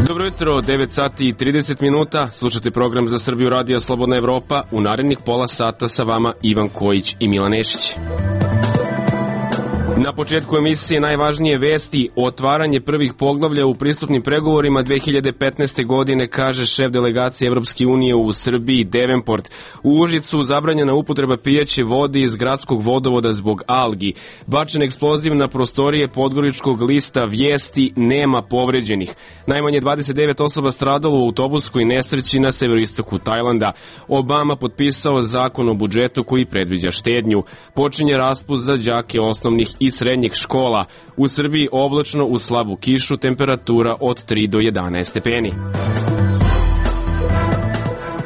Dobro jutro, 9 sati i 30 minuta, slušate program za Srbiju radija Slobodna Evropa, u narednih pola sata sa vama Ivan Kojić i Milan Nešić. Na početku emisije najvažnije vesti: otvaranje prvih poglavlja u pristupnim pregovorima 2015. godine, kaže šef delegacije Evropske unije u Srbiji Devenport. U Užicu zabranjena upotreba pijaće vode iz gradskog vodovoda zbog algi. Bačen eksploziv na prostorije podgoričkog lista Vijesti, nema povređenih. Najmanje 29 osoba stradalo u autobuskoj nesreći na severoistoku Tajlanda. Obama potpisao zakon o budžetu koji predviđa štednju. Počinje raspust za đake osnovnih i srednjih škola. U Srbiji oblačno uz slabu kišu, temperatura od 3 do 11 stepeni.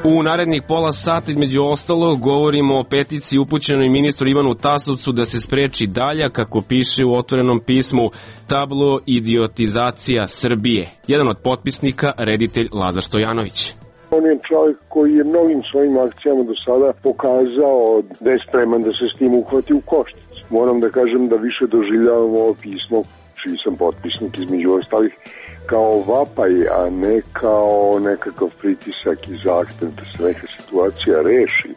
U narednih pola sata, između ostalog, govorimo o peticiji upućenoj ministru Ivanu Tasovcu da se spreči dalja, kako piše u otvorenom pismu, tablo idiotizacija Srbije. Jedan od potpisnika, reditelj Lazar Stojanović. On je čovjek koji je mnogim svojim akcijama do sada pokazao da je spreman da se s tim uhvati u koštac. Moram da kažem da više doživljavam ovo pismo, čiji sam potpisnik između ostalih, kao vapaj, a ne kao nekakav pritisak i zahtev da se neka situacija reši.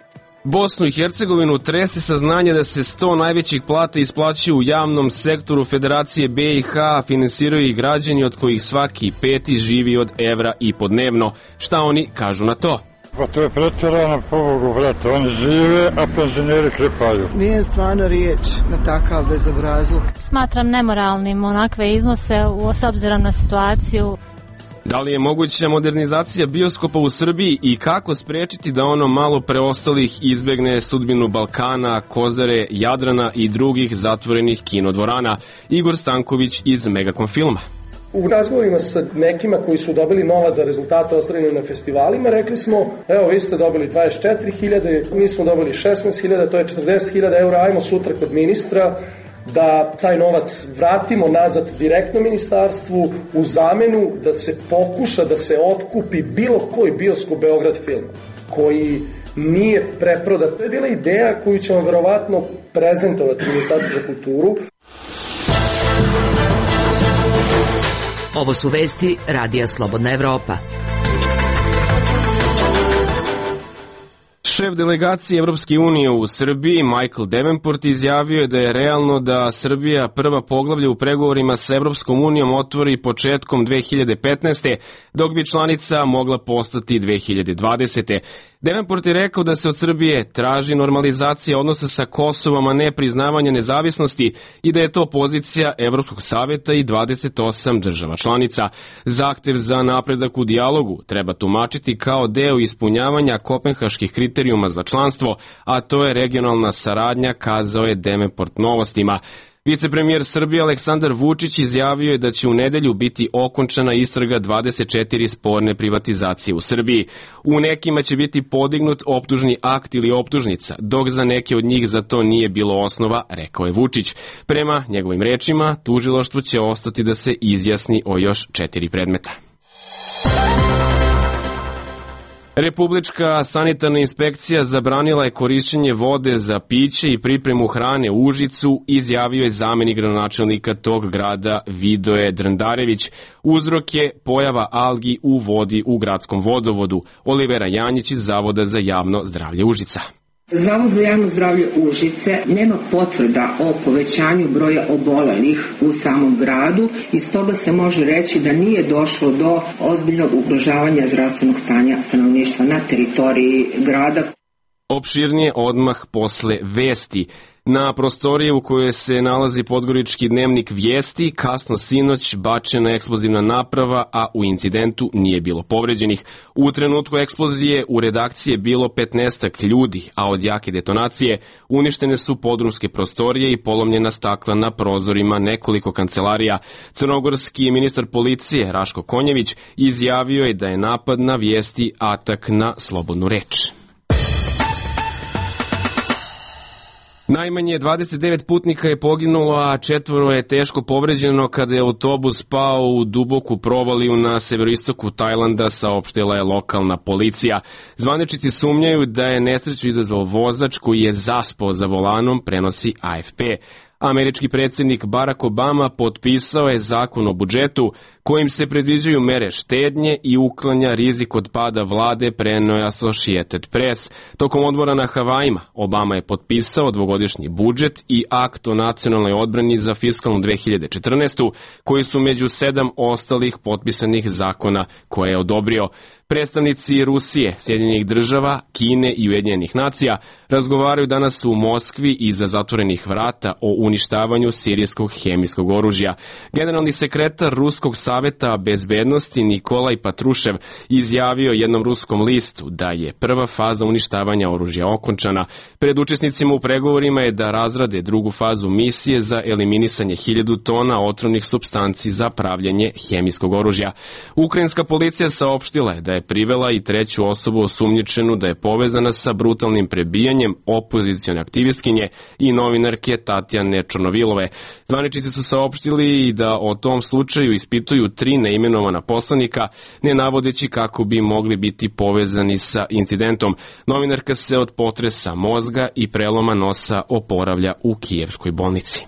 Bosnu i Hercegovinu trese saznanje da se 100 najvećih plata isplaćuju u javnom sektoru Federacije BiH, finansiraju ih građani od kojih svaki peti živi od evra i po dnevno. Šta oni kažu na to? Pa to je pretjerano, pobogu, brate, oni žive, a penzioneri krepaju. Nije stvarno riječ na takav bezobrazluk. Smatram nemoralnim onakve iznose s obzirom na situaciju. Da li je moguća modernizacija bioskopa u Srbiji i kako sprečiti da ono malo preostalih izbegne sudbinu Balkana, Kozare, Jadrana i drugih zatvorenih kinodvorana? Igor Stanković iz Megacom filma. U razgovorima sa nekima koji su dobili novac za rezultate ostvarene na festivalima, rekli smo, evo vi ste dobili 24.000, mi smo dobili 16.000, to je 40.000 eura, ajmo sutra kod ministra da taj novac vratimo nazad direktno ministarstvu u zamenu da se pokuša da se otkupi bilo koji bioskop Beograd film koji nije preprodat. To je bila ideja koju ćemo verovatno prezentovati Ministarstvu za kulturu. Ovo su vesti Radija Slobodna Evropa. Šef delegacije Evropske unije u Srbiji, Michael Devenport, izjavio je da je realno da Srbija prva poglavlja u pregovorima sa Evropskom unijom otvori početkom 2015. dok bi članica mogla postati 2020. Devenport je rekao da se od Srbije traži normalizacija odnosa sa Kosovom, a ne priznavanje nezavisnosti, i da je to pozicija Evropskog saveta i 28 država članica. Zahtev za napredak u dijalogu treba tumačiti kao deo ispunjavanja kopenhaških kriterijuma za članstvo, a to je regionalna saradnja, kazao je Devenport Novostima. Vicepremijer Srbije Aleksandar Vučić izjavio je da će u nedelju biti okončana istraga 24 sporne privatizacije u Srbiji. U nekima će biti podignut optužni akt ili optužnica, dok za neke od njih za to nije bilo osnova, rekao je Vučić. Prema njegovim rečima, tužilaštvo će ostati da se izjasni o još 4 predmeta. Republička sanitarna inspekcija zabranila je korišćenje vode za piće i pripremu hrane u Užicu, izjavio je zamenik gradonačelnika tog grada Vidoje Drndarević. Uzrok je pojava algi u vodi u gradskom vodovodu. Olivera Janjić iz Zavoda za javno zdravlje Užica. Zavod za javno zdravlje Užice nema potvrda o povećanju broja obolelih u samom gradu i stoga se može reći da nije došlo do ozbiljnog ugrožavanja zdravstvenog stanja stanovništva na teritoriji grada. Opširnije odmah posle vesti. Na prostorije u kojoj se nalazi podgorički dnevnik Vijesti kasno sinoć bačena eksplozivna naprava, a u incidentu nije bilo povređenih. U trenutku eksplozije u redakciji je bilo 15 ljudi, a od jake detonacije uništene su podrumske prostorije i polomljena stakla na prozorima nekoliko kancelarija. Crnogorski ministar policije Raško Konjević izjavio je da je napad na Vijesti atak na slobodnu reč. Najmanje 29 putnika je poginulo, a 4 je teško povređeno kada je autobus pao u duboku provaliju na severoistoku Tajlanda, saopštila je lokalna policija. Zvaničnici sumnjaju da je nesreću izazvao vozač koji je zaspao za volanom, prenosi AFP. Američki predsjednik Barack Obama potpisao je zakon o budžetu kojim se predviđaju mere štednje i uklanja rizik od pada vlade, preneo je Associated Press. Tokom odmora na Havajima Obama je potpisao dvogodišnji budžet i akt o nacionalnoj odbrani za fiskalnu 2014. koji su među 7 ostalih potpisanih zakona koje je odobrio. Predstavnici Rusije, Sjedinjenih država, Kine i Ujedinjenih nacija razgovaraju danas u Moskvi iza zatvorenih vrata o uništavanju sirijskog hemijskog oružja. Generalni sekretar Ruskog saveta bezbednosti Nikolaj Patrušev izjavio jednom ruskom listu da je prva faza uništavanja oružja okončana. Pred učesnicima u pregovorima je da razrade drugu fazu misije za eliminisanje 1000 tona otrovnih supstanci za pravljenje hemijskog oružja. Ukrajinska policija saopštila je da je privela i 3. osobu osumnjičenu da je povezana sa brutalnim prebijanjem opozicione aktivistkinje i novinarke Tatjane Čornovilove. Zvaničnici su saopštili i da o tom slučaju ispituju 3 neimenovana poslanika, ne navodeći kako bi mogli biti povezani sa incidentom. Novinarka se od potresa mozga i preloma nosa oporavlja u kijevskoj bolnici.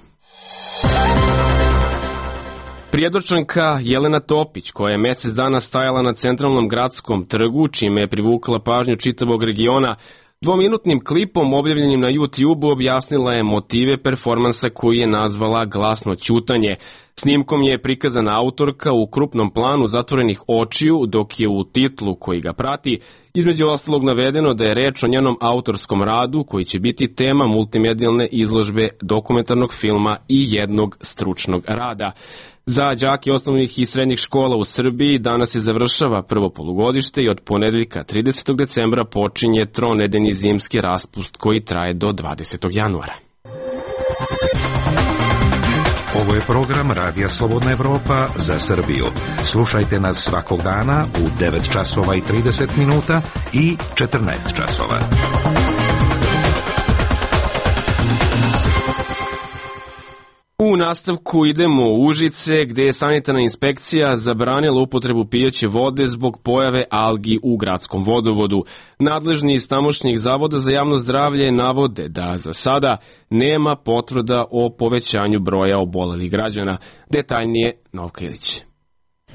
Prijedorčanka Jelena Topić, koja je mjesec dana stajala na centralnom gradskom trgu, čime je privukla pažnju čitavog regiona, 2-minutnim klipom objavljenim na YouTube objasnila je motive performansa koji je nazvala Glasno ćutanje. Snimkom je prikazana autorka u krupnom planu zatvorenih očiju, dok je u titlu koji ga prati između ostalog navedeno da je reč o njenom autorskom radu koji će biti tema multimedijalne izložbe, dokumentarnog filma i jednog stručnog rada. Za đake osnovnih i srednjih škola u Srbiji danas se završava prvo polugodište i od ponedeljka 30. decembra počinje tronedeljni zimski raspust koji traje do 20. januara. Ovo je program Radija Slobodna Evropa za Srbiju. Slušajte nas svakog dana u 9 časova i 30 minuta i 14 časova. U nastavku idemo u Užice, gdje je sanitarna inspekcija zabranila upotrebu pijaće vode zbog pojave algi u gradskom vodovodu. Nadležni iz tamošnjih zavoda za javno zdravlje navode da za sada nema potvrda o povećanju broja obolelih građana. Detaljnije Novka Ilić.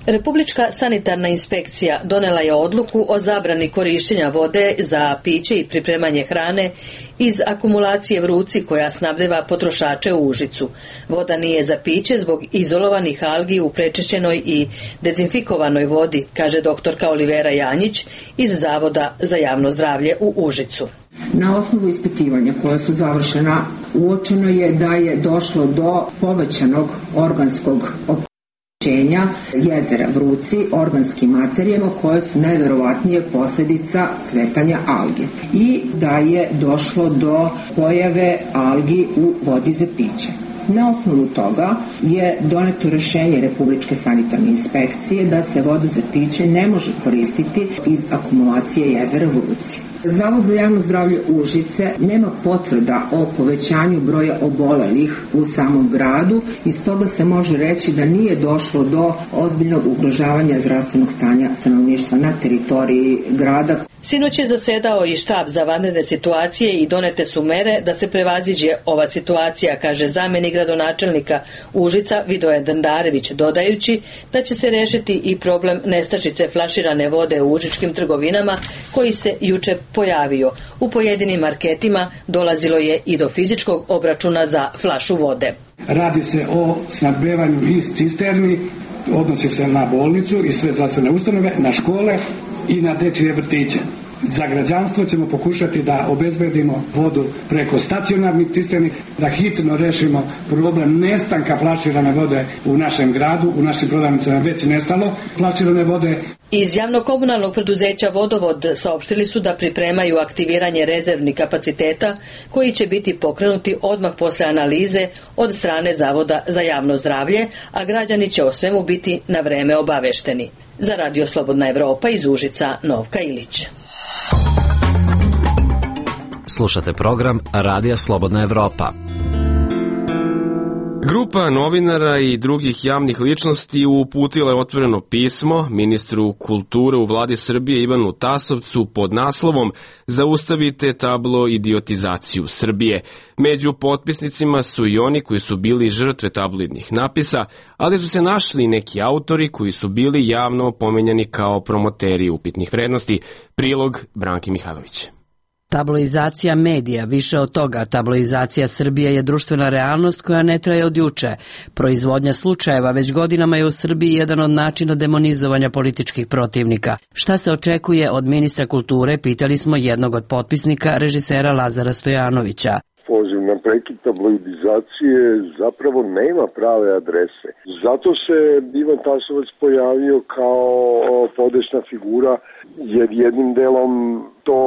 Republička sanitarna inspekcija donela je odluku o zabrani korištenja vode za piće i pripremanje hrane iz akumulacije Vruci koja snabdeva potrošače u Užicu. Voda nije za piće zbog izolovanih algi u prečišćenoj i dezinfikovanoj vodi, kaže doktorka Olivera Janjić iz Zavoda za javno zdravlje u Užicu. Na osnovu ispitivanja koja su završena uočeno je da je došlo do povećanog organskog jezera Vruci organskim materijama koje su najverovatnije posljedica cvetanja alge i da je došlo do pojave algi u vodi za piće. Na osnovu toga je doneto rješenje Republičke sanitarne inspekcije da se voda za piće ne može koristiti iz akumulacije jezera Vruci. Zavod za javno zdravlje Užice nema potvrda o povećanju broja obolelih u samom gradu i stoga se može reći da nije došlo do ozbiljnog ugrožavanja zdravstvenog stanja stanovništva na teritoriji grada. Sinoć je zasedao i štab za vanredne situacije i donete su mere da se prevaziđe ova situacija, kaže zamjenik gradonačelnika Užica Vidoje Dandarević, dodajući da će se rešiti i problem nestašice flaširane vode u užičkim trgovinama koji se juče pojavio. U pojedinim marketima dolazilo je i do fizičkog obračuna za flašu vode. Radi se o snabdevanju iz cisterni, odnosi se na bolnicu i sve zdravstvene ustanove, na škole i na dečije vrtiće. Za građanstvo ćemo pokušati da obezbedimo vodu preko stacionarnih cisterni, da hitno rešimo problem nestanka flaširane vode u našem gradu, u našim prodavnicama već nestalo flaširane vode. Iz javno-komunalnog preduzeća Vodovod saopštili su da pripremaju aktiviranje rezervnih kapaciteta koji će biti pokrenuti odmah posle analize od strane Zavoda za javno zdravlje, a građani će o svemu biti na vreme obavešteni. Za Radio Slobodna Evropa iz Užica, Novka Ilić. Slušate program Radija Slobodna Evropa. Grupa novinara i drugih javnih ličnosti uputila je otvoreno pismo ministru kulture u vladi Srbije Ivanu Tasovcu pod naslovom Zaustavite tabloidiotizaciju Srbije. Među potpisnicima su i oni koji su bili žrtve tabloidnih napisa, ali su se našli neki autori koji su bili javno pomenjani kao promoteri upitnih vrednosti. Prilog Branki Mihajlović. Tabloizacija medija, više od toga, tabloizacija Srbije je društvena realnost koja ne traje od juče. Proizvodnja slučajeva već godinama je u Srbiji jedan od načina demonizovanja političkih protivnika. Šta se očekuje od ministra kulture, pitali smo jednog od potpisnika, režisera Lazara Stojanovića. Poziv na prekid tabloidizacije zapravo nema prave adrese. Zato se Ivan Tasovac pojavio kao podesna figura, jer jednim delom to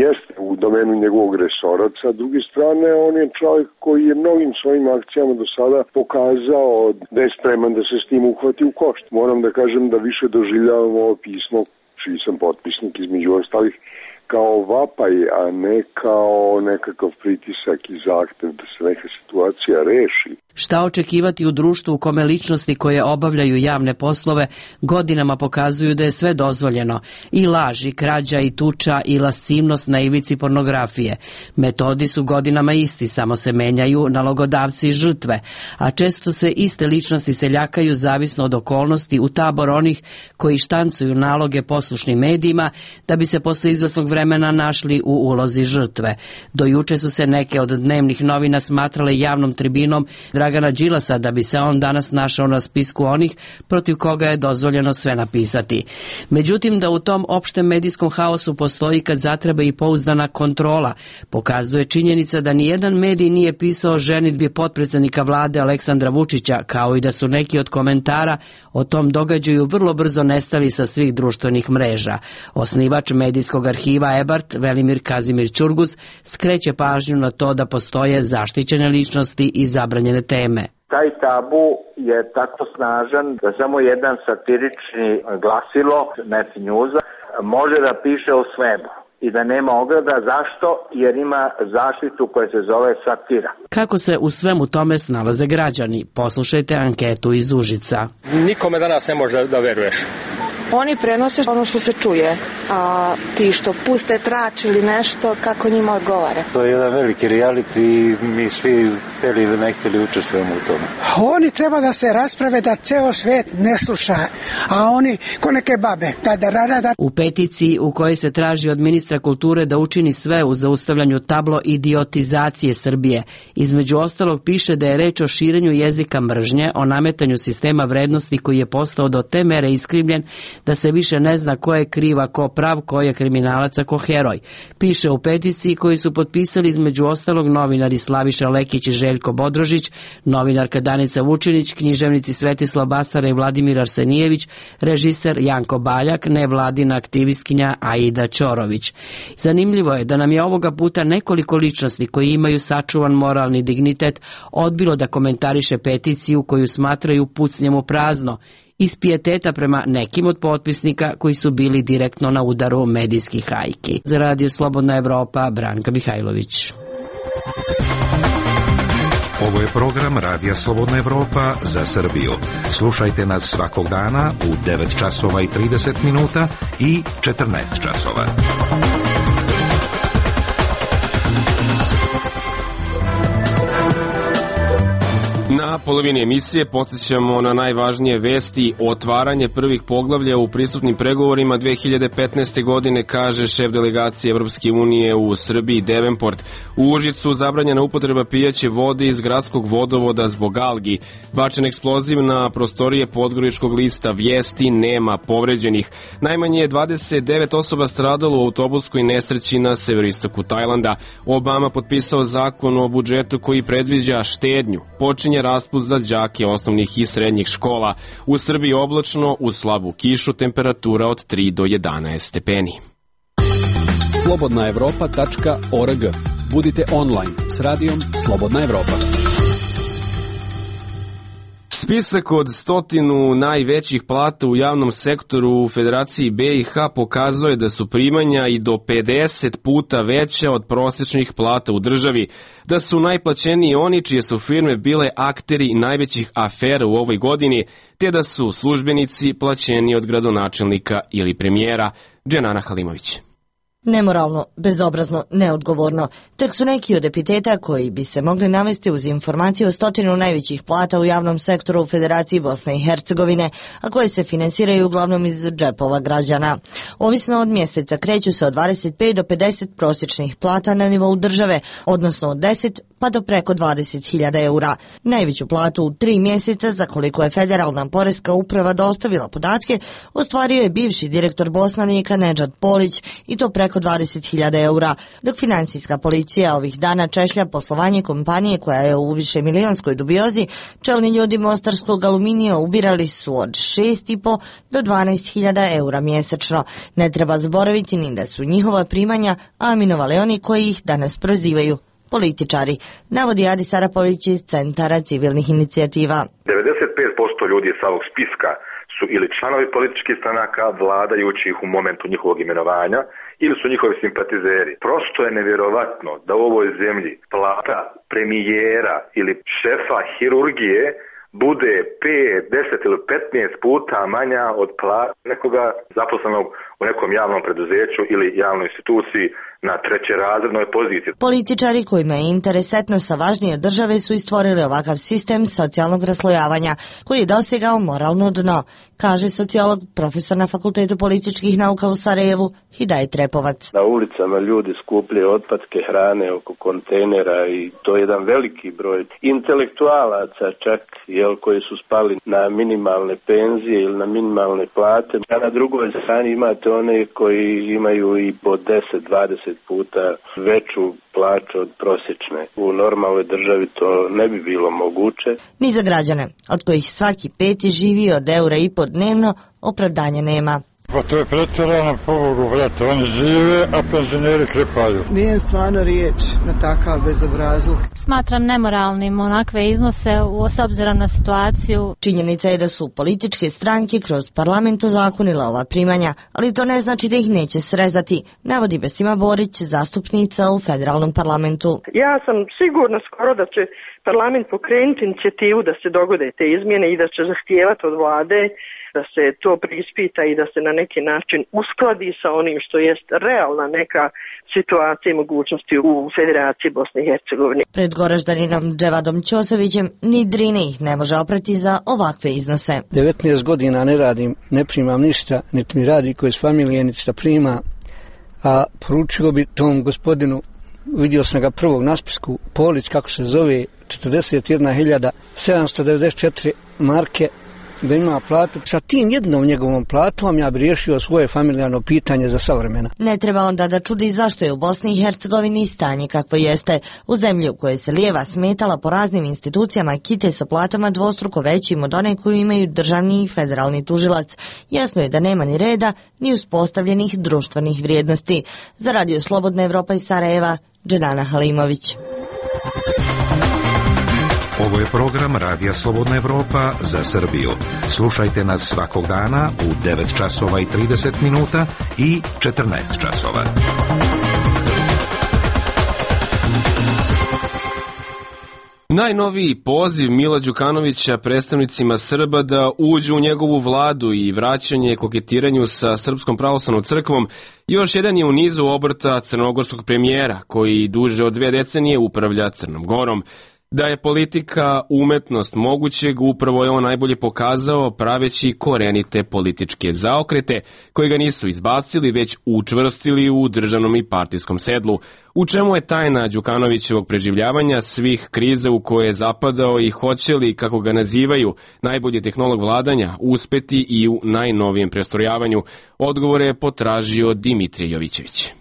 jeste u domenu njegovog resora. Sa druge strane, on je čovjek koji je mnogim svojim akcijama do sada pokazao da je spreman da se s tim uhvati u košt. Moram da kažem da više doživljavam ovo pismo, čiji sam potpisnik između ostalih, kao vapaj, a ne kao nekakav pritisak i zahtev da se neka situacija reši. Šta očekivati u društvu u kome ličnosti koje obavljaju javne poslove godinama pokazuju da je sve dozvoljeno, i laž, i krađa, i tuča, i lascivnost na ivici pornografije. Metodi su godinama isti, samo se menjaju nalogodavci i žrtve, a često se iste ličnosti seljakaju zavisno od okolnosti u tabor onih koji štancuju naloge poslušnim medijima da bi se posle izvesnog vremena našli u ulozi žrtve. Do juče su se neke od dnevnih novina smatrale javnom tribinom Dragana Đilasa, da bi se on danas našao na spisku onih protiv koga je dozvoljeno sve napisati. Međutim, da u tom opštem medijskom haosu postoji kad zatreba i pouzdana kontrola, pokazuje činjenica da nijedan medij nije pisao o ženidbi potpredsednika vlade Aleksandra Vučića, kao i da su neki od komentara o tom događaju vrlo brzo nestali sa svih društvenih mreža. Osnivač medijskog arhiva EBART, Velimir Kazimir Ćurguz, skreće pažnju na to da postoje zaštićene ličnosti i zabranjene teme. Taj tabu je tako snažan da samo jedan satirični glasilo, Net News, može da piše o svemu i da nema ograda. Zašto? Jer ima zaštitu koja se zove satira. Kako se u svemu tome snalaze građani? Poslušajte anketu iz Užica. Nikome danas ne može da veruješ. Oni prenose ono što se čuje, a ti što puste trač ili nešto, kako njima odgovara. To je jedan veliki reality i mi svi hteli ili ne hteli učestvujemo u tome. Oni treba da se rasprave da ceo svet ne sluša, a oni ko neke babe. U peticiji u kojoj se traži od ministra kulture da učini sve u zaustavljanju tabloidiotizacije Srbije, između ostalog piše da je reč o širenju jezika mržnje, o nametanju sistema vrednosti koji je postao do te mere iskrivljen da se više ne zna ko je kriva, ko prav, ko je kriminalac, a ko heroj. Piše u peticiji koju su potpisali između ostalog novinari Slaviša Lekić i Željko Bodrožić, novinarka Danica Vučinić, književnici Svetislav Basara i Vladimir Arsenijević, režiser Janko Baljak, nevladina aktivistkinja Aida Ćorović. Zanimljivo je da nam je ovoga puta nekoliko ličnosti koji imaju sačuvan moralni dignitet odbilo da komentariše peticiju koju smatraju pucnjem u prazno, iz pijeteta prema nekim od potpisnika koji su bili direktno na udaru medijskih hajki. Za Radio Slobodna Evropa, Branka Mihajlović. Ovo je program Radija Slobodna Evropa za Srbiju. Slušajte nas svakog dana u 9 časova i 30 minuta i 14 časova. Na polovini emisije podsjećamo na najvažnije vesti. Otvaranje prvih poglavlja u pristupnim pregovorima 2015. godine, kaže šef delegacije Evropske unije u Srbiji Devenport. U Užicu zabranjena upotreba pijaće vode iz gradskog vodovoda zbog algi. Bačen eksploziv na prostorije Podgoričkog lista Vijesti, nema povređenih. Najmanje je 29 osoba stradalo u autobuskoj nesreći na severistoku Tajlanda. Obama potpisao zakon o budžetu koji predviđa štednju. Počinje raspust za đake osnovnih i srednjih škola. U Srbiji oblačno, uz slabu kišu, temperatura od 3 do 11 stepeni. slobodnaevropa.org. Budite online s radijom Slobodna Evropa. Spisak od 100 najvećih plata u javnom sektoru u Federaciji BiH pokazuje da su primanja i do 50 puta veća od prosječnih plata u državi, da su najplaćeniji oni čije su firme bile akteri najvećih afera u ovoj godini, te da su službenici plaćeni od gradonačelnika ili premijera. Dženana Halimović. Nemoralno, bezobrazno, neodgovorno. Tek su neki od epiteta koji bi se mogli navesti uz informacije o 100 najvećih plata u javnom sektoru u Federaciji Bosne i Hercegovine, a koje se finansiraju uglavnom iz džepova građana. Ovisno od mjeseca kreću se od 25 do 50 prosječnih plata na nivou države, odnosno od 10 pa do preko 20.000 eura. Najveću platu u 3 mjeseca, za koliko je Federalna poreska uprava dostavila podatke, ostvario je bivši direktor Bosnanika Nedžad Polić, i to preko 20.000 eura, dok finansijska policija ovih dana češlja poslovanje kompanije koja je u višemilionskoj dubiozi. Čelni ljudi mostarskog Aluminija ubirali su od 6,5 do 12.000 eura mjesečno. Ne treba zaboraviti ni da su njihova primanja aminovali oni koji ih danas prozivaju političari, navodi Adis Arapović iz Centara civilnih inicijativa. 95% ljudi sa ovog spiska su ili članovi političkih stranaka vladajućih u momentu njihovog imenovanja ili su njihovi simpatizeri. Prosto je nevjerovatno da u ovoj zemlji plata premijera ili šefa hirurgije bude 5, 10 ili 15 puta manja od plata nekoga zaposlenog u nekom javnom preduzeću ili javnoj instituciji na trećerazrednoj poziciji. Političari kojima je interes etnosa važnije od države su stvorili ovakav sistem socijalnog raslojavanja koji je dosegao moralno dno, kaže sociolog, profesor na Fakultetu političkih nauka u Sarajevu Hidajet Repovac. Na ulicama ljudi skupljaju otpadke hrane oko kontejnera i to je jedan veliki broj intelektualaca čak koji su spali na minimalne penzije ili na minimalne plate. A na drugoj strani imate one koji imaju i po 10-20 puta veću plaću od prosječne. U normalnoj državi to ne bi bilo moguće. Ni za građane, od kojih svaki peti živi od €1,5 dnevno, opravdanja nema. Pa to je pretjerano, pobogu, vrata, oni žive, a penzioneri krepaju. Nije stvarno riječ na takav bezobrazluk. Smatram nemoralnim onakve iznose s obzirom na situaciju. Činjenica je da su političke stranke kroz parlament ozakonile ova primanja, ali to ne znači da ih neće srezati, navodi Besima Borić, zastupnica u federalnom parlamentu. Ja sam sigurna skoro da će parlament pokrenuti inicijativu da se dogode te izmjene i da će zahtijevati od vlade da se to preispita i da se na neki način uskladi sa onim što jest realna neka situacija i mogućnosti u Federaciji Bosne i Hercegovine. Pred Goraždaninom Dževadom Ćosovićem ni drine ih ne može oprati za ovakve iznose. 19 godina ne radim, ne primam ništa, niti mi radi koji iz familije, niti šta prima, a poručio bi tom gospodinu, vidio sam ga prvog na spisku, Polić, kako se zove, 41.794 marke, da ima platu. Sa tim jednom njegovom platom ja bi riješio svoje familijarno pitanje za savremena. Ne treba onda da čudi zašto je u Bosni i Hercegovini stanje kakvo jeste. U zemlji u kojoj se lijeva smetala po raznim institucijama kite sa platama dvostruko većim od one koju imaju državni i federalni tužilac. Jasno je da nema ni reda, ni uspostavljenih društvenih vrijednosti. Za Radio Slobodna Evropa iz Sarajeva, Dženana Halimović. Ovo je program Radija Slobodna Evropa za Srbiju. Slušajte nas svakog dana u 9 časova i 30 minuta i 14 časova. Najnoviji poziv Mila Đukanovića predstavnicima Srba da uđu u njegovu vladu i vraćanje koketiranju sa Srpskom pravoslavnom crkvom još jedan je u nizu obrta crnogorskog premijera koji duže od 2 decenije upravlja Crnom Gorom. Da je politika umetnost mogućeg, upravo je on najbolje pokazao praveći korenite političke zaokrete koji ga nisu izbacili, već učvrstili u državnom i partijskom sedlu. U čemu je tajna Đukanovićevog preživljavanja svih kriza u koje je zapadao i hoće li, kako ga nazivaju, najbolji tehnolog vladanja, uspeti i u najnovijem prestrojavanju? Odgovore je potražio Dimitrije Jovićević.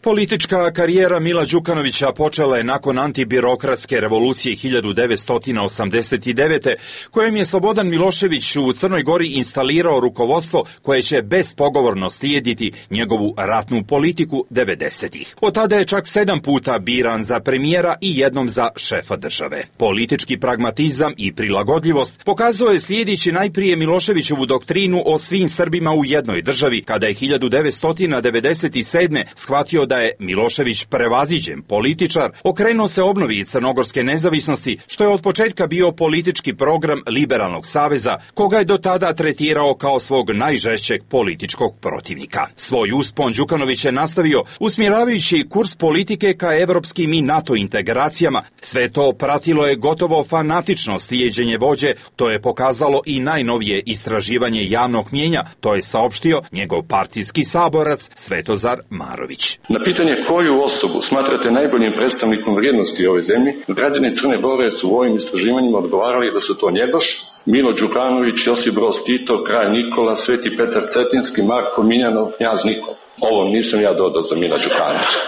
Politička karijera Mila Đukanovića počela je nakon antibirokratske revolucije 1989. kojom je Slobodan Milošević u Crnoj Gori instalirao rukovodstvo koje će bespogovorno slijediti njegovu ratnu politiku 90-ih. Od tada je čak 7 puta biran za premijera i jednom za šefa države. Politički pragmatizam i prilagodljivost pokazao je slijedići najprije Miloševićevu doktrinu o svim Srbima u jednoj državi, kada je 1997. shvatio da je Milošević prevaziđen političar, okrenuo se obnovi crnogorske nezavisnosti, što je od početka bio politički program Liberalnog saveza, koga je do tada tretirao kao svog najžešćeg političkog protivnika. Svoj uspon Đukanović je nastavio usmjeravajući kurs politike ka evropskim i NATO integracijama. Sve to pratilo je gotovo fanatično slijeđenje vođe, to je pokazalo i najnovije istraživanje javnog mnijenja, to je saopštio njegov partijski saborac Svetozar Marović. Na pitanje koju osobu smatrate najboljim predstavnikom vrijednosti ove zemlje, građani Crne Gore su u ovim istraživanjima odgovarali da su to Njegoš, Milo Đukanović, Josip Broz Tito, Kralj Nikola, Sveti Petar Cetinski, Marko Miljanov, Knjaz Nikola. Ovo nisam ja dodao za Mila Đukanovića.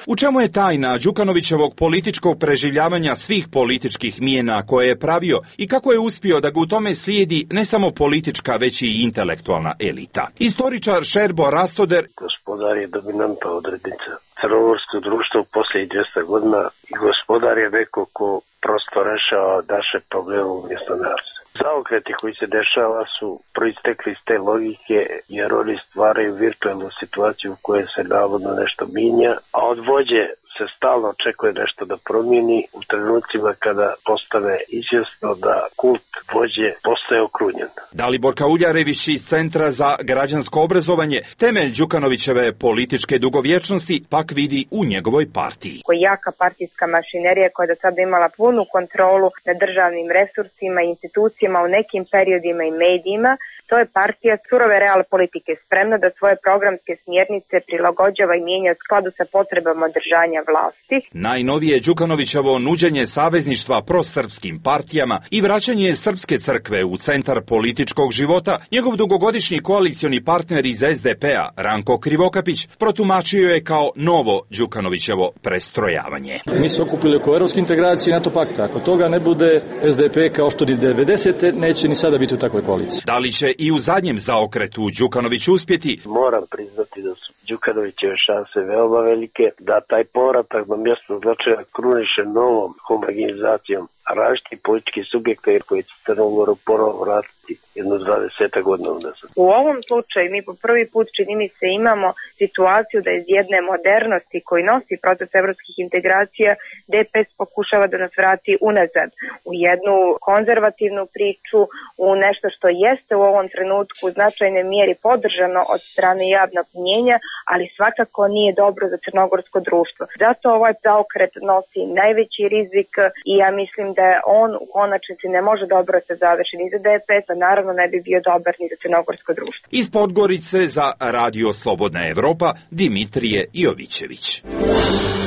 U čemu je tajna Đukanovićevog političkog preživljavanja svih političkih mijena koje je pravio i kako je uspio da ga u tome slijedi ne samo politička, već i intelektualna elita? Istoričar Šerbo Rastoder: gospodar je dominanta odrednica. Crnogorsko društvo u posljednjih 200 godina i gospodar je neko ko prosto rešava naše probleme umjesto nas. Zaokreti koji se dešava su proistekli iz te logike, jer oni stvaraju virtualnu situaciju u kojoj se navodno nešto minja, a od vođe se stalno očekuje nešto da promijeni u trenucima kada postane izvjesno da kult vođe postaje okrunjen. Dalibor Kauljarević iz Centra za građansko obrazovanje temelj Đukanovićeve političke dugovječnosti pak vidi u njegovoj partiji. Jaka partijska mašinerija koja je do sada imala punu kontrolu nad državnim resursima i institucijama u nekim periodima i medijima, to je partija surove real politike, spremna da svoje programske smjernice prilagođava i mijenja u skladu sa potrebama održanja vlasti. Najnovije Đukanovićevo nuđenje savezništva prosrpskim partijama i vraćanje Srpske crkve u centar političkog života, njegov dugogodišnji koalicioni partner iz SDP-a, Ranko Krivokapić, protumačio je kao novo Đukanovićevo prestrojavanje. Mi se okupili oko evropske integracije i NATO pakta. Ako toga ne bude, SDP kao što ni 90. neće ni sada biti u takvoj koaliciji. Da li će i u zadnjem zaokretu Đukanović uspjeti? Moram priznati da su Đukanovićeve šanse veoma velike, da taj povratak na mjesto značaja kruniše novom homogenizacijom različitih političkih subjekta koji će Crnogoru ponovo vratiti jedno 20 godina unazad. U ovom slučaju mi po prvi put, čini mi se, imamo situaciju da iz jedne modernosti koji nosi proces evropskih integracija DPS pokušava da nas vrati unazad u jednu konzervativnu priču, u nešto što jeste u ovom trenutku u značajnoj mjeri podržano od strane javnog mnijenja, ali svakako nije dobro za crnogorsko društvo. Zato ovaj zaokret nosi najveći rizik i ja mislim da on u konačnici ne može dobro se završiti ni za DPS, a naravno ne bi bio dobar ni za crnogorsko društvo. Iz Podgorice za Radio Slobodna Evropa, Dimitrije Jovićević.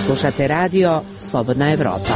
Slušate Radio Slobodna Evropa.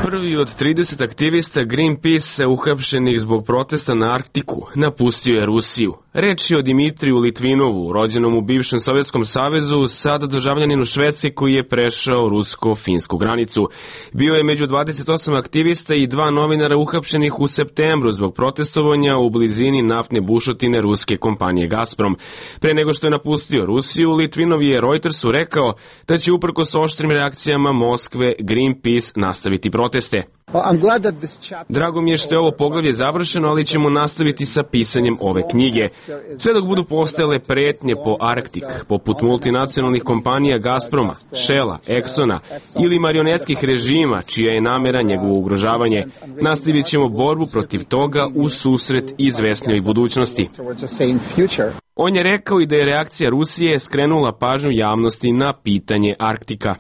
Prvi od 30 aktivista Greenpeace uhapšenih zbog protesta na Arktiku napustio je Rusiju. Reč je o Dimitriju Litvinovu, rođenom u bivšem Sovjetskom savezu, sada državljaninu Švedske koji je prešao rusko-finsku granicu. Bio je među 28 aktivista i 2 novinara uhapšenih u septembru zbog protestovanja u blizini naftne bušotine ruske kompanije Gazprom. Pre nego što je napustio Rusiju, Litvinov je Reutersu rekao da će uprkos oštrim reakcijama Moskve Greenpeace nastaviti proteste. Drago mi je što je ovo poglavlje završeno, ali ćemo nastaviti sa pisanjem ove knjige. Sve dok budu postojale pretnje po Arktik, poput multinacionalnih kompanija Gazproma, Shella, Exxona ili marionetskih režima, čija je namera njegovo ugrožavanje, nastavit ćemo borbu protiv toga u susret izvesnijoj budućnosti. On je rekao i da je reakcija Rusije skrenula pažnju javnosti na pitanje Arktika.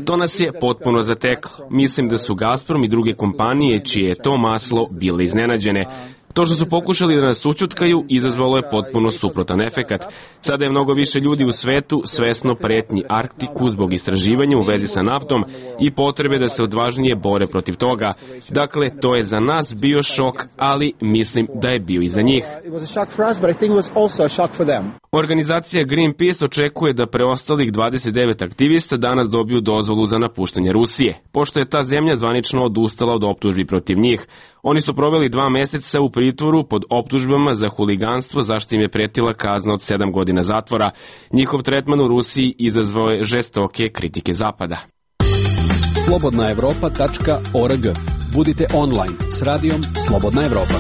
To nas je potpuno zateklo. Mislim da su Gazprom i druge kompanije čije je to maslo bile iznenađene. To što su pokušali da nas ućutkaju izazvalo je potpuno suprotan efekat. Sada je mnogo više ljudi u svetu svesno pretnji Arktiku zbog istraživanja u vezi sa naftom i potrebe da se odvažnije bore protiv toga. Dakle, to je za nas bio šok, ali mislim da je bio i za njih. Organizacija Greenpeace očekuje da preostalih 29 aktivista danas dobiju dozvolu za napuštanje Rusije, pošto je ta zemlja zvanično odustala od optužbi protiv njih. Oni su proveli 2 meseca u pritvoru pod optužbama za huliganstvo, zašto im je pretila kazna od 7 godina zatvora. Njihov tretman u Rusiji izazvao je žestoke kritike Zapada. slobodnaevropa.org. Budite online s radijom Slobodna Evropa.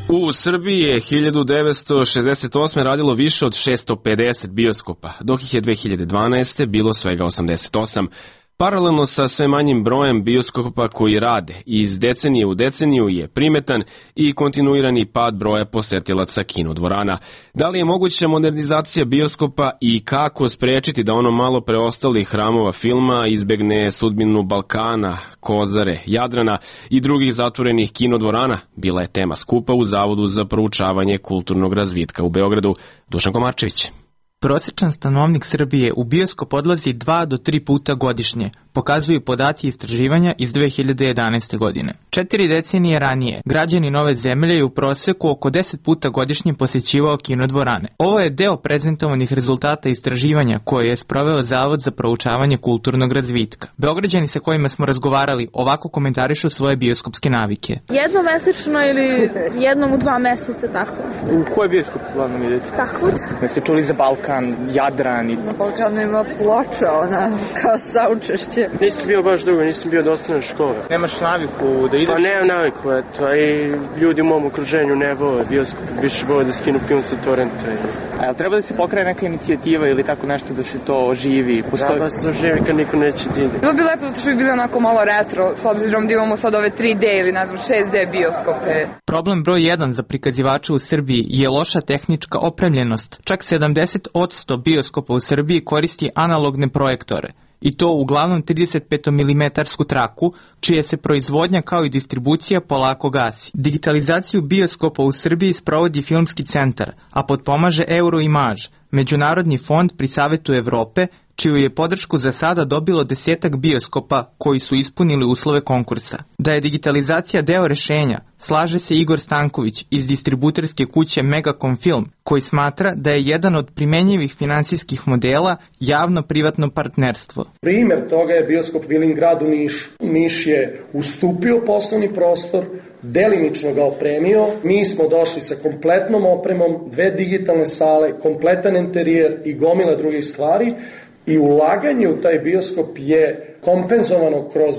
U Srbiji je 1968. radilo više od 650 bioskopa, dok ih je 2012. bilo svega 88. Paralelno sa sve manjim brojem bioskopa koji rade, iz decenije u deceniju je primetan i kontinuirani pad broja posetilaca kinodvorana. Da li je moguća modernizacija bioskopa i kako sprečiti da ono malo preostalih hramova filma izbegne sudbinu Balkana, Kozare, Jadrana i drugih zatvorenih kinodvorana, bila je tema skupa u Zavodu za proučavanje kulturnog razvitka u Beogradu. Dušan Komarčević. Prosječan stanovnik Srbije u bioskop odlazi 2 do 3 puta godišnje, pokazuju podaci istraživanja iz 2011. godine. 4 decenije ranije, građani Nove zemlje je u proseku oko 10 puta godišnje posjećivao kinodvorane. Ovo je deo prezentovanih rezultata istraživanja koje je sproveo Zavod za proučavanje kulturnog razvitka. Beograđani sa kojima smo razgovarali ovako komentarišu svoje bioskopske navike. Jednomesečno ili jednom u 2 meseca, tako. U koji bioskop uglavnom idete? Tahvud. Jeste čuli za Balkan, Jadran i... Na Balkanu ima ploča, ona kao saučešće. Nisam bio baš dugo, nisam bio do osnovne škole. Nemaš naviku da ideš? Pa nemam naviku, eto, a i ljudi u mom okruženju ne vole bioskop, više vole da skinu film sa torrenta. A jel treba da se pokraje neka inicijativa ili tako nešto da se to oživi? Da, ba se oživi kad niko neće da ide. Bilo bi lepo zato što bi bilo onako malo retro, s obzirom da imamo sad ove 3D ili ne znam 6D bioskope. Problem broj 1 za prikazivače u Srbiji je loša tehnička opremljenost. Čak 70% bioskopa u Srbiji koristi analogne projektore. I to uglavnom 35 mm traku, čija se proizvodnja kao i distribucija polako gasi. Digitalizaciju bioskopa u Srbiji sprovodi Filmski centar, a potpomaže Euroimage, međunarodni fond pri Savetu Evrope, čiju je podršku za sada dobilo 10 bioskopa koji su ispunili uslove konkursa. Da je digitalizacija deo rešenja, slaže se Igor Stanković iz distributerske kuće Megacom Film, koji smatra da je jedan od primenjivih finansijskih modela javno-privatno partnerstvo. Primer toga je bioskop Vilingrad u Nišu. Niš je ustupio poslovni prostor, delimično ga opremio. Mi smo došli sa kompletnom opremom, 2 digitalne sale, kompletan interijer i gomila drugih stvari. I ulaganje u taj bioskop je kompenzovano kroz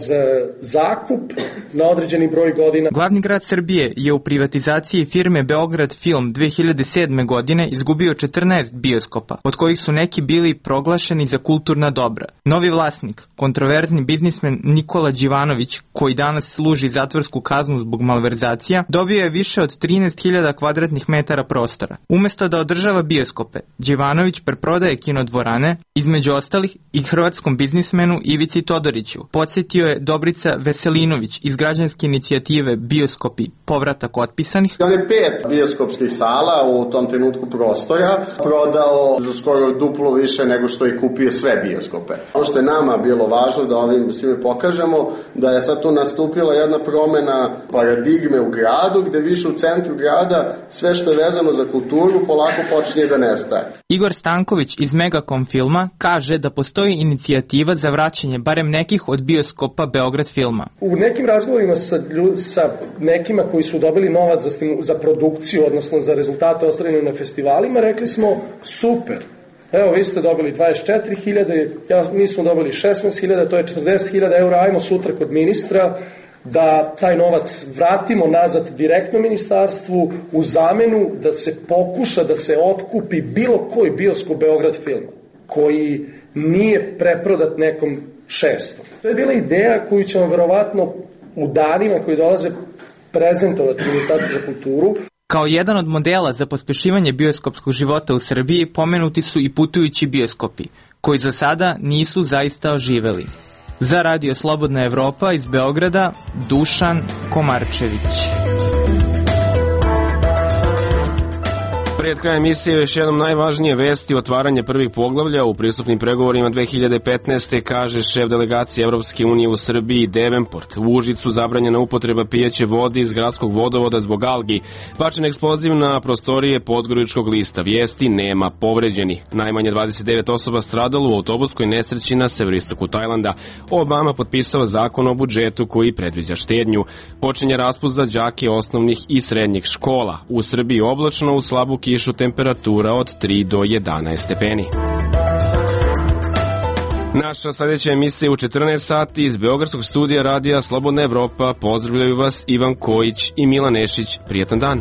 zakup na određeni broj godina. Glavni grad Srbije je u privatizaciji firme Beograd Film 2007. godine izgubio 14 bioskopa, od kojih su neki bili proglašeni za kulturna dobra. Novi vlasnik, kontroverzni biznismen Nikola Đivanović, koji danas služi zatvorsku kaznu zbog malverzacija, dobio je više od 13.000 kvadratnih metara prostora. Umesto da održava bioskope, Đivanović preprodaje kinodvorane, između ostalih i hrvatskom biznismenu Ivici Todoriću. Podsjetio je Dobrica Veselinović iz građanske inicijative Bioskopi povratak otpisanih. On je 5 bioskopskih sala u tom trenutku prostora prodao za skoro duplo više nego što je kupio sve bioskope. Ono što je nama bilo važno da ovim svime pokažemo da je sad tu nastupila jedna promena paradigme u gradu, gde više u centru grada sve što je vezano za kulturu polako počinje da nestaje. Igor Stanković iz Megacom Filma kaže da postoji inicijativa za vraćanje barem nekih od bioskopa Beograd Filma. U nekim razgovorima sa nekima koji su dobili novac za produkciju, odnosno za rezultate ostvarene na festivalima, rekli smo super. Evo, vi ste dobili 24.000, mi smo dobili 16.000, to je 40.000 eura, ajmo sutra kod ministra da taj novac vratimo nazad direktno ministarstvu u zamenu da se pokuša da se otkupi bilo koji bioskop Beograd Filma, koji nije preprodat nekom šestom. To je bila ideja koju ćemo verovatno u danima koji dolaze prezentovati Ministarstvo za kulturu. Kao jedan od modela za pospešivanje bioskopskog života u Srbiji pomenuti su i putujući bioskopi, koji za sada nisu zaista oživeli. Za Radio Slobodna Evropa iz Beograda, Dušan Komarčević. Pred krajem emisije još jednom najvažnije vesti otvaranje prvih poglavlja u pristupnim pregovorima 2015. kaže šef delegacije Evropske unije u Srbiji Davenport. U Užicu zabranjena upotreba pijeće vode iz gradskog vodovoda zbog algi. Bačen eksploziv na prostorije Podgoričkog lista. Vijesti nema povređeni. Najmanje 29 osoba stradalo u autobuskoj nesreći na severistoku Tajlanda. Obama potpisao zakon o budžetu koji predviđa štednju. Počinje raspust za đake osnovnih i srednjih škola. U Srbiji oblačno, u slabu kišu, temperatura od 3 do 11 stepeni. Naša sljedeća emisija u 14 sati iz Beogradskog studija radija Slobodna Evropa. Pozdravljaju vas Ivan Kojić i Milan Nešić. Prijetan dan.